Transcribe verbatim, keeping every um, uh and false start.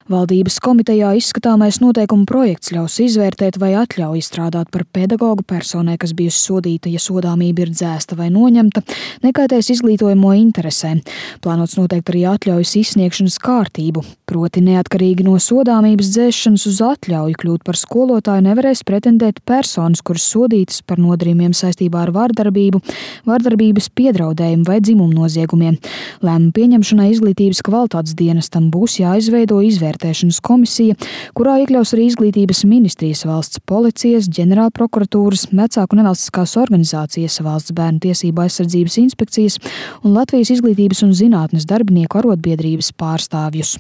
Valdības komitejā izskatāmais noteikumu projekts ļaus izvērtēt vai atļauj izstrādāt par pedagogu personai, kas bijusi sodīta, ja sodāmība ir dzēsta vai noņemta, nekaitēs izglītojamo interesēm. Plānots noteikt arī atļaujas izsniegšanas kārtību, proti neatkarīgi no sodāmības dzēšanas uz atļauju kļūt par skolotāju nevarēs pretendēt personas, kuras sodītas par nodarījumiem saistībā ar vardarbību, vardarbības piedraudējumu vai dzimumnoziegumiem. Lēmumu pieņemšanai izglītības kvalitātes dienestam būs jāizveido izvērtēšanas komisija, kurā iekļaus arī izglītības ministrijas, valsts policijas, ģenerālprokuratūras, vecāku nevalstiskās organizācijas, valsts bērnu tiesību aizsardzības inspekcijas un Latvijas izglītības un zinātnes darbinieku arotbiedrības pārstāvjus.